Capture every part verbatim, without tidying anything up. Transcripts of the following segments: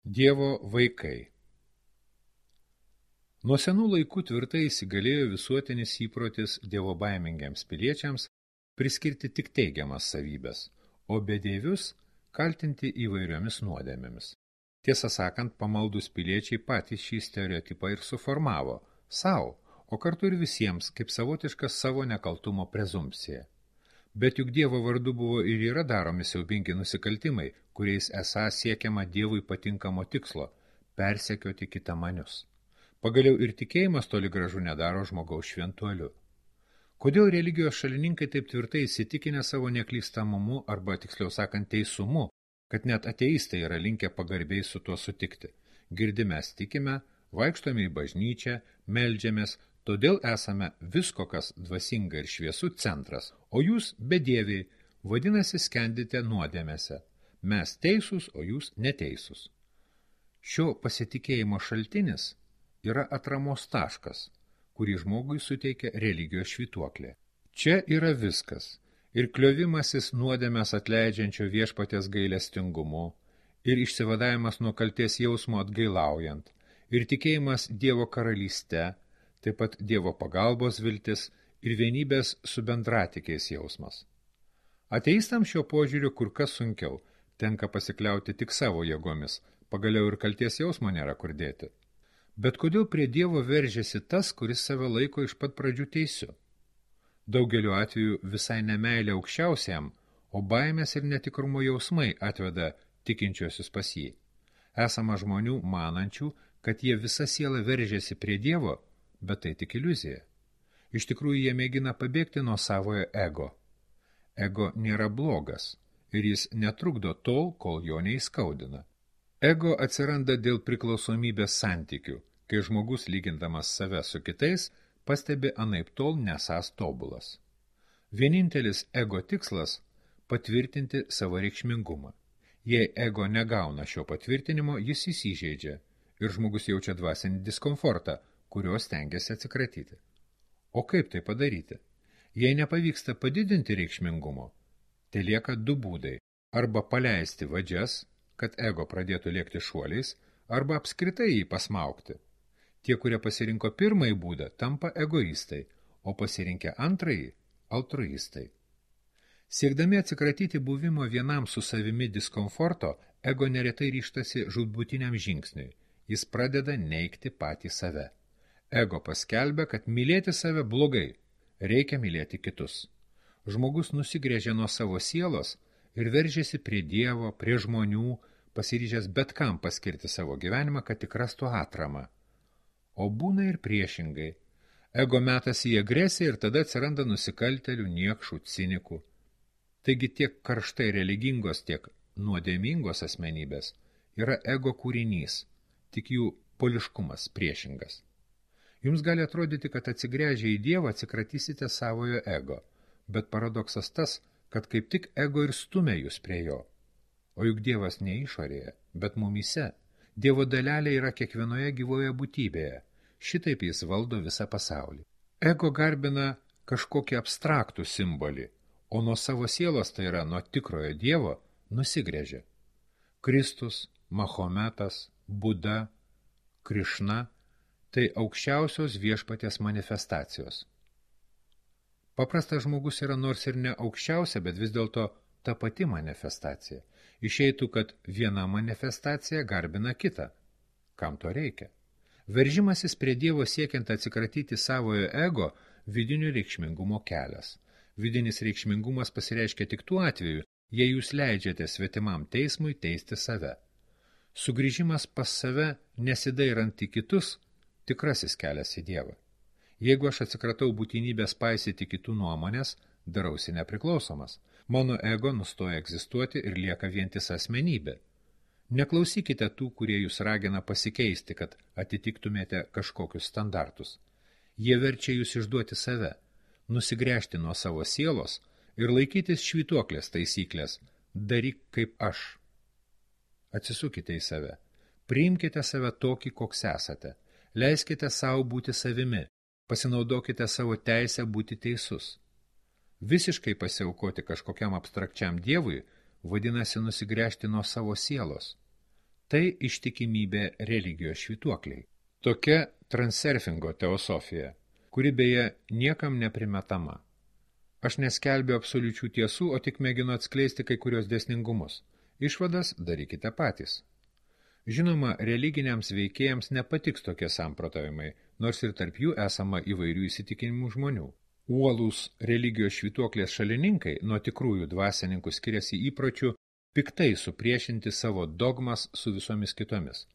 Dievo vaikai. Nuo senų laikų tvirtai įsigalėjo visuotinis įprotis dievobaimingiams piliečiams priskirti tik teigiamas savybes, o bedievius kaltinti įvairiomis nuodėmėmis. Tiesą sakant, pamaldus piliečiai patys šį stereotipą ir suformavo sau, o kartu ir visiems kaip savotiška savo nekaltumo prezumpcija. Bet juk Dievo vardu buvo ir yra daromi siaubingi nusikaltimai, kuriais esą siekiama Dievui patinkamo tikslo – persekioti kitamanius. Pagaliau ir tikėjimas toli gražu nedaro žmogaus šventuoliu. Kodėl religijos šalininkai taip tvirtai įsitikinę savo neklystamumu arba, tiksliau sakant, teisumu, kad net ateistai yra linkę pagarbiai su tuo sutikti? Girdi mes tikime, vaikštome į bažnyčią, meldžiamės, todėl esame visko, kas dvasinga ir šviesu centras, o jūs bedieviai, vadinasi, skendite nuodėmėse. Mes teisūs, o jūs neteisūs. Šio pasitikėjimo šaltinis yra atramos taškas, kurį žmogui suteikia religijos švytuoklė. Čia yra viskas, ir kliovimasis nuodėmės atleidžiančio viešpaties gailestingumu, ir išsivadavimas nuo kalties jausmo atgailaujant, ir tikėjimas Dievo karalyste, taip pat Dievo pagalbos viltis ir vienybės su bendratikiais jausmas. Ateistams šio požiūriu kur kas sunkiau, tenka pasikliauti tik savo jėgomis, pagaliau ir kalties jausmo nėra kur dėti. Bet kodėl prie Dievo veržiasi tas, kuris save laiko iš pat pradžių teisiu? Daugeliu atveju visai nemeilė aukščiausiam, o baimės ir netikrumo jausmai atveda tikinčiosius pas jį. Esama žmonių manančių, kad jie visa siela veržiasi prie Dievo, bet tai tik iliuzija. Iš tikrųjų, jie mėgina pabėgti nuo savojo ego. Ego nėra blogas ir jis netrukdo tol, kol jo neįskaudina. Ego atsiranda dėl priklausomybės santykių, kai žmogus, lygindamas save su kitais, pastebi anaip tol nesąs tobulas. Vienintelis ego tikslas – patvirtinti savo reikšmingumą. Jei ego negauna šio patvirtinimo, jis įsižeidžia ir žmogus jaučia dvasinį diskomfortą, kurios stengiasi atsikratyti. O kaip tai padaryti? Jei nepavyksta padidinti reikšmingumo, tai lieka du būdai – arba paleisti vadžias, kad ego pradėtų lėkti šuoliais, arba apskritai jį pasmaukti. Tie, kurie pasirinko pirmąjį būdą, tampa egoistai, o pasirinkę antrąjį – altruistai. Siekdami atsikratyti buvimo vienam su savimi diskomforto, ego neretai ryžtasi žūtbūtiniam žingsniui. Jis pradeda neigti patį save. Ego paskelbia, kad mylėti save blogai, reikia mylėti kitus. Žmogus nusigrėžia nuo savo sielos ir veržiasi prie Dievo, prie žmonių, pasiryžęs bet kam paskirti savo gyvenimą, kad tik rastų atramą. O būna ir priešingai. Ego metas į agresiją ir tada atsiranda nusikaltelių, niekšų, cinikų. Taigi tiek karštai religingos, tiek nuodėmingos asmenybės yra ego kūrinys, tik jų poliškumas priešingas. Jums gali atrodyti, kad atsigręžę į Dievą atsikratysite savojo ego, bet paradoksas tas, kad kaip tik ego ir stumia jūs prie jo. O juk Dievas ne išorėje, bet mumyse. Dievo dalelė yra kiekvienoje gyvoje būtybėje. Šitaip jis valdo visą pasaulį. Ego garbina kažkokį abstraktų simbolį, o nuo savo sielos, tai yra nuo tikrojo Dievo, nusigręžia. Kristus, Mahometas, Buda, Krišna – tai aukščiausios viešpaties manifestacijos. Paprastas žmogus yra nors ir ne aukščiausia, bet vis dėlto ta pati manifestacija. Išeitų, kad viena manifestacija garbina kitą. Kam to reikia? Veržimasis prie Dievo siekiant atsikratyti savojo ego vidinio reikšmingumo kelias. Vidinis reikšmingumas pasireiškia tik tuo atveju, jei jūs leidžiate svetimam teismui teisti save. Sugrįžimas pas save, nesidairant į kitus, tikrasis kelias į Dievą. Jeigu aš atsikratau būtinybės paisyti kitų nuomonės, darausi nepriklausomas. Mano ego nustoja egzistuoti ir lieka vientisa asmenybė. Neklausykite tų, kurie jūs ragina pasikeisti, kad atitiktumėte kažkokius standartus. Jie verčia jūs išduoti save, nusigręžti nuo savo sielos ir laikytis švytuoklės taisyklės – daryk kaip aš. Atsisukite į save, priimkite save tokį, koks esate, leiskite savo būti savimi, pasinaudokite savo teisę būti teisus. Visiškai pasiaukoti kažkokiam abstrakčiam Dievui vadinasi nusigręžti nuo savo sielos. tai ištikimybė religijos švytuokliai. Tokia transurfingo teosofija, kuri beje niekam neprimetama. Aš neskelbiu absoliučių tiesų, o tik mėginu atskleisti kai kurios dėsningumus. Išvadas darykite patys. Žinoma, religiniams veikėjams nepatiks tokie samprotavimai, nors ir tarp jų esama įvairių įsitikinimų žmonių. Uolūs religijos švytuoklės šalininkai nuo tikrųjų dvasininkų skiriasi įpročių piktai supriešinti savo dogmas su visomis kitomis.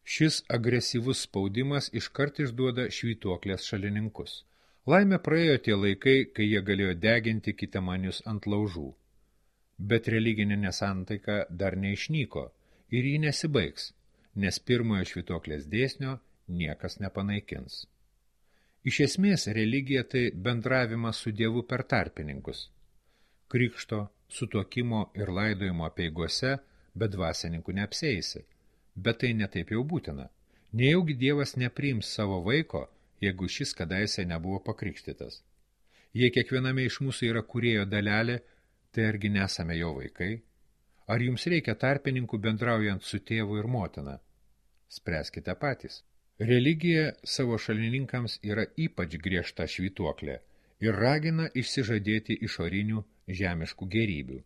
Šis agresyvus spaudimas iškart išduoda švytuoklės šalininkus. Laimė praėjo tie laikai, kai jie galėjo deginti kitamanius ant laužų. Bet religinė nesantaika dar neišnyko ir ji nesibaigs, nes pirmojo švytuoklės dėsnio niekas nepanaikins. Iš esmės religija tai bendravimas su Dievu per tarpininkus. Krikšto, sutuokimo ir laidojimo apeigose be dvasininkų neapsieisi, bet tai netaip jau būtina. Nejaugi Dievas nepriims savo vaiko, jeigu šis kadaise nebuvo pakrikštytas. Jei kiekviename iš mūsų yra kūrėjo dalelė, tai argi nesame jo vaikai? Ar jums reikia tarpininkų bendraujant su tėvu ir motina? Spręskite patys. Religija savo šalininkams yra ypač griežta švytuoklė ir ragina išsižadėti išorinių žemiškų gėrybių.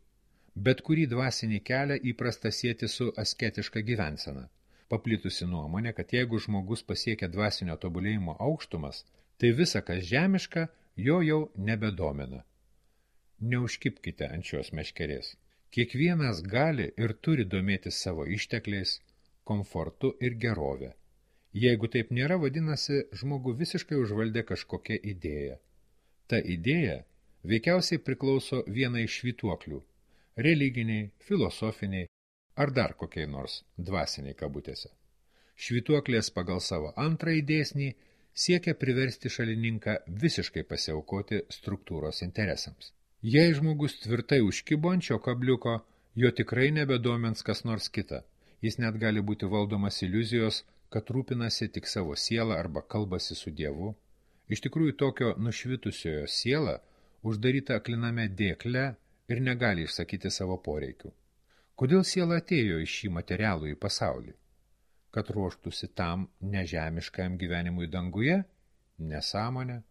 Bet kurį dvasinį kelią įprasta sieti su asketiška gyvensena. Paplitusi nuomonė, kad jeigu žmogus pasiekia dvasinio tobulėjimo aukštumas, tai visa, kas žemiška, jo jau nebedomina. Neužkibkite ant šios meškerės. Kiekvienas gali ir turi domėtis savo ištekliais, komfortu ir gerovė. Jeigu taip nėra, vadinasi, žmogų visiškai užvaldė kažkokia idėja. Ta idėja veikiausiai priklauso vienai iš švytuoklių – religiniai, filosofiniai ar dar kokiai nors dvasiniai kabutėse. Švytuoklės pagal savo antrąjį dėsnį siekia priversti šalininką visiškai pasiaukoti struktūros interesams. Jei žmogus tvirtai užkibo ant šio kabliuko, jo tikrai nebedomins kas nors kita. Jis net gali būti valdomas iliuzijos, kad rūpinasi tik savo sielą arba kalbasi su Dievu. Iš tikrųjų tokio nušvitusiojo siela uždaryta akliname dėkle ir negali išsakyti savo poreikių. Kodėl siela atėjo į šį materialų į pasaulį? Kad ruoštųsi tam nežemiškajam gyvenimui danguje? Nesąmonė.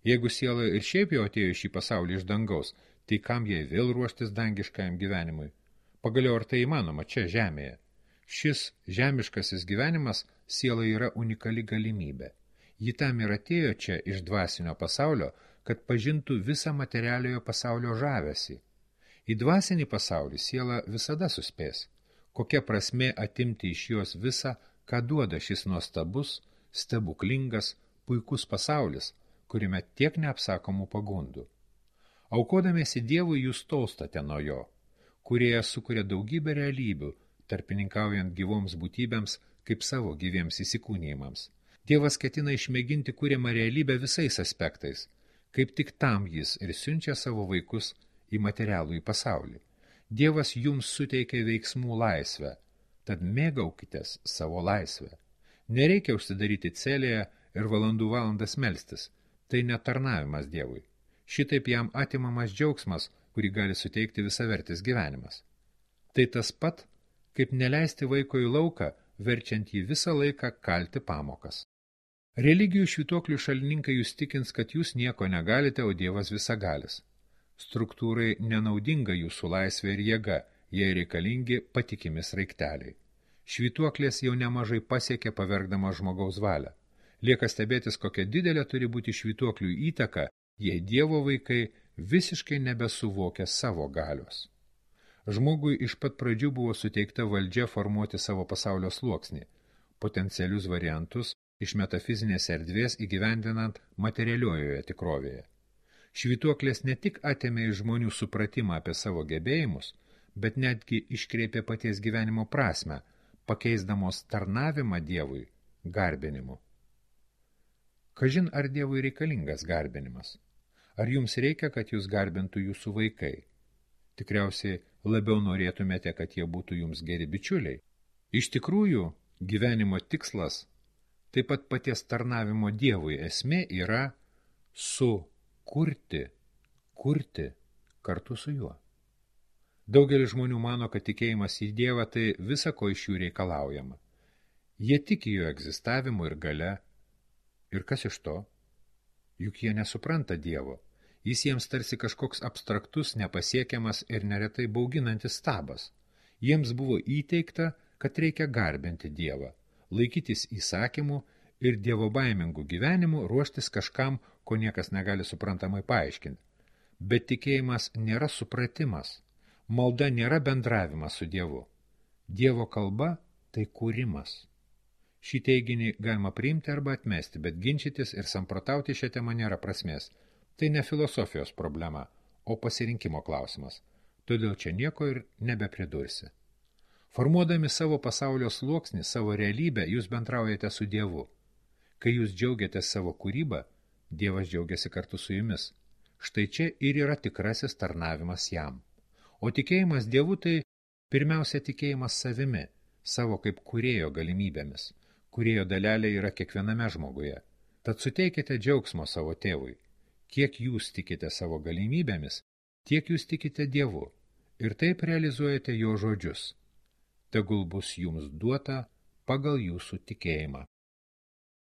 Jeigu siela ir šiaip jau atėjo į šį pasaulį iš dangaus, tai kam jai vėl ruoštis dangiškajam gyvenimui? Pagaliau ar tai įmanoma čia žemėje? Šis žemiškasis gyvenimas siela yra unikali galimybė. Ji tam ir atėjo čia iš dvasinio pasaulio, kad pažintų visą materialiojo pasaulio žavesį. Į dvasinį pasaulį siela visada suspės. Kokia prasmė atimti iš jos visą, ką duoda šis nuostabus, stebuklingas, puikus pasaulis, kuriame tiek neapsakomų pagundų. Aukodamiesi Dievui jūs tolstate nuo jo, kurie sukuria daugybę realybių, tarpininkaujant gyvoms būtybėms kaip savo gyviems įsikūnijimams. Dievas ketina išmėginti kuriamą realybę visais aspektais, kaip tik tam jis ir siunčia savo vaikus į materialų į pasaulį. Dievas jums suteikia veiksmų laisvę, tad mėgaukitės savo laisvę. Nereikia užsidaryti celėje ir valandų valandas melstis, tai netarnavimas Dievui. Šitaip jam atimamas džiaugsmas, kurį gali suteikti visavertis gyvenimas. Tai tas pat, kaip neleisti vaiko į lauką, verčiant jį visą laiką kalti pamokas. Religijų švytuoklių šalininkai jūs tikins, kad jūs nieko negalite, o Dievas visagalis. Struktūrai nenaudinga jūsų laisvė ir jėga, jei reikalingi patikimi sraigteliai. Švytuoklės jau nemažai pasiekė pavergdama žmogaus valią. Lieka stebėtis, kokia didelė turi būti švytuoklių įtaka, jei Dievo vaikai visiškai nebesuvokia savo galios. Žmogui iš pat pradžių buvo suteikta valdžia formuoti savo pasaulio sluoksnį, potencialius variantus iš metafizinės erdvės įgyvendinant materialiojoje tikrovėje. Švytuoklės ne tik atėmė iš žmonių supratimą apie savo gebėjimus, bet netgi iškreipė paties gyvenimo prasmę, pakeisdamos tarnavimą Dievui garbinimu. Kažin ar Dievui reikalingas garbinimas? Ar jums reikia, kad jūs garbintų jūsų vaikai? Tikriausiai labiau norėtumėte, kad jie būtų jums geri bičiuliai. Iš tikrųjų, gyvenimo tikslas, taip pat paties tarnavimo Dievui esmė yra sukurti, kurti kartu su juo. Daugelis žmonių mano, kad tikėjimas į Dievą tai visa, ko iš jų reikalaujama. Jie tiki jo egzistavimu ir gale. Ir kas iš to? Juk jie nesupranta Dievo. Jis jiems tarsi kažkoks abstraktus, nepasiekiamas ir neretai bauginantis stabas. Jiems buvo įteikta, kad reikia garbinti Dievą, laikytis įsakymų ir dievobaimingų gyvenimų ruoštis kažkam, ko niekas negali suprantamai paaiškinti. Bet tikėjimas nėra supratimas. Malda nėra bendravimas su Dievu. Dievo kalba tai kūrimas. Šį teiginį galima priimti arba atmesti, bet ginčytis ir samprotauti šią temą nėra prasmės. Tai ne filosofijos problema, o pasirinkimo klausimas. Todėl čia nieko ir nebepridursi. Formuodami savo pasaulio sluoksnį, savo realybę, jūs bendraujate su Dievu. Kai jūs džiaugiatės savo kūrybą, Dievas džiaugiasi kartu su jumis. Štai čia ir yra tikrasis tarnavimas jam. O tikėjimas Dievu tai pirmiausia tikėjimas savimi, savo kaip kūrėjo galimybėmis. Kūrėjo dalelė yra kiekviename žmoguje. Tad suteikite džiaugsmo savo tėvui. Kiek jūs tikite savo galimybėmis, tiek jūs tikite Dievu. Ir taip realizuojate jo žodžius. Tegul bus jums duota pagal jūsų tikėjimą.